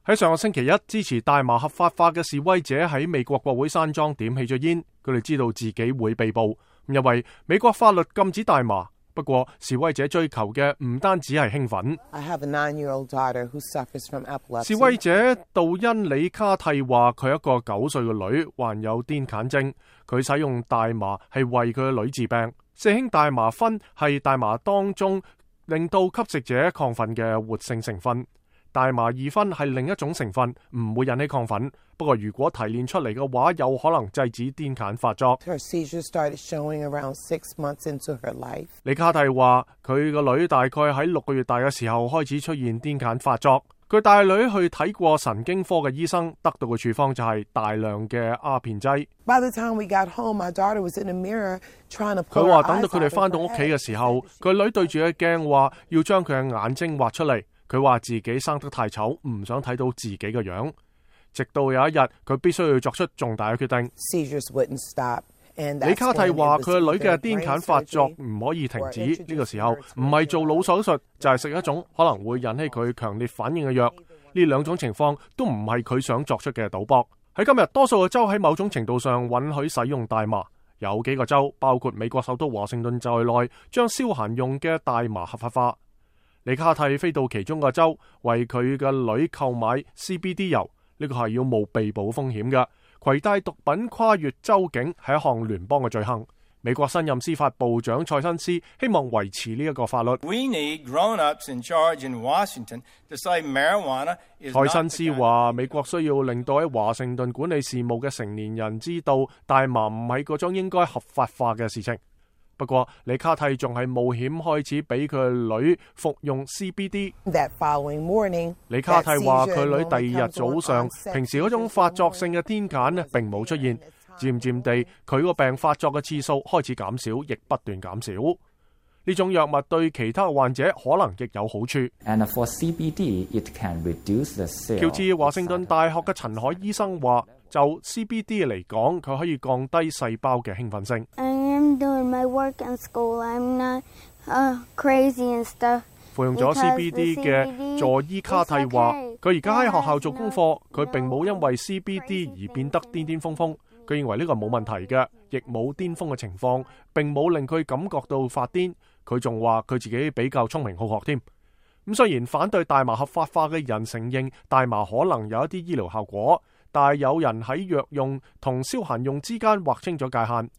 喺上個星期一，支持大麻合法化嘅示威者喺美國國會山莊點起咗煙，佢哋知道自己會被捕，因為美國法律禁止大麻。不過示威者追求嘅唔單止係興奮。示威者杜恩里卡蒂話佢一個9歲嘅女患有癲癇症，佢使用大麻係為佢嘅女治病。四氫大麻酚係大麻當中令到吸食者亢奮嘅活性成分。大麻二酚係另一種成分，唔會引起亢奮。不過如果提煉出嚟嘅話，有可能制止癲癇發作。李卡蒂話佢個女大概喺6個月大嘅時候開始出現癲癇發作。佢帶女去睇過神經科嘅醫生，得到嘅處方就係大量嘅鴉片劑。佢話等到佢哋翻到屋企嘅時候，佢女對住個鏡話要將佢嘅眼睛畫出嚟。佢話自己生得太醜，唔想睇到自己嘅樣。直到有一日，佢必須要作出重大嘅決定。李卡蒂話佢個女嘅癲癇發作唔可以停止，呢個時候唔係做腦手術，就係食一種可能會引起佢強烈反應嘅藥。呢兩種情況都唔係佢想作出嘅賭博。喺今日，多數嘅州喺某種程度上允許使用大麻，有幾個州，包括美國首都華盛頓在內，將消閒用嘅大麻合法化。李卡蒂飛到其中個州，為佢嘅女購買 CBD 油，呢個係要冒被捕風險嘅。攜帶毒品跨越州境係一項聯邦嘅罪行。美國新任司法部長蔡新斯希望維持呢一個法律。蔡新斯話：美國需要令到喺華盛頓管理事務嘅成年人知道，大麻唔係嗰種應該合法化嘅事情。不過，李卡蒂仲係冒險開始俾佢女服用 CBD。李卡蒂話佢女第二日早上，平時嗰種發作性嘅癲癇呢並冇出現，漸漸地佢個病發作嘅次數開始減少，亦不斷減少。呢種藥物對其他患者可能亦有好處。喬治華盛頓大學嘅陳海醫生話，就 CBD 嚟講，佢可以降低細胞嘅興奮性。服用咗 CBD 嘅佐伊卡蒂話，佢而家喺學校做功課，佢並冇因為 CBD 而變得癲癲瘋瘋。佢認為呢個冇問題嘅，亦冇癲瘋嘅情況，並冇令佢感覺到發癲。佢仲話佢自己比較聰明好學添。咁雖然反對大麻合法化嘅人承認大麻可能有一啲醫療效果，但係有人喺藥用同消閒用之間劃清咗界限。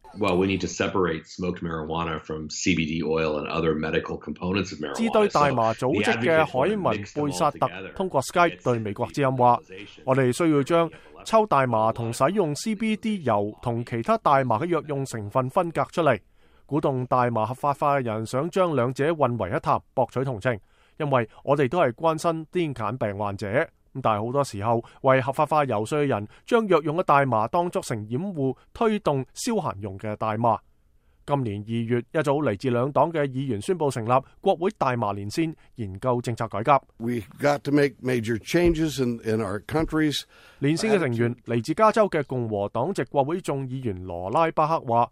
支對大麻組織嘅海文貝薩特通過 Skype 對美國之音話：我哋需要將抽大麻同使用 CBD 油同其他大麻嘅藥用成分分隔出嚟，鼓動大麻合法化嘅人想將兩者混為一談，博取同情。因為我哋都係關心癲癇病患者，但係好多時候為合法化游說嘅人將藥用嘅大麻當作成掩護，推動消閒用嘅大麻。今年2月，一組嚟自兩黨嘅議員宣布成立國會大麻連線，研究政策改革。連線嘅成員嚟自加州嘅共和黨籍國會眾議員羅拉巴克話：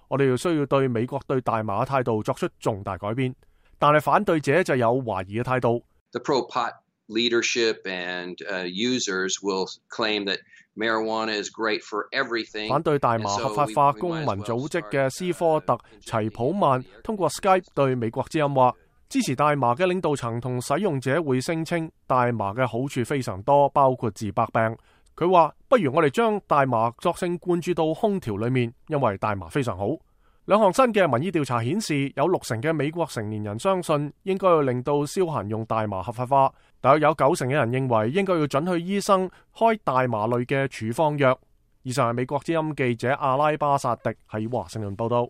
我哋需要對美國對大麻嘅態度作出重大改變。但係反對者就有懷疑嘅態度。反對大麻合法化公民組織嘅斯科特齊普曼通過 Skype 對美國之音話，支持大麻嘅領導層同使用者會聲稱大麻嘅好處非常多，包括治百病。佢話：不如我哋將大麻索性灌注到空調裏面，因為大麻非常好。兩項新嘅民意調查顯示，有60%嘅美國成年人相信應該要令到消閒用大麻合法化，但有90%嘅人認為應該要准許醫生開大麻類嘅處方藥。以上係美國之音記者阿拉巴薩迪喺華盛頓報道。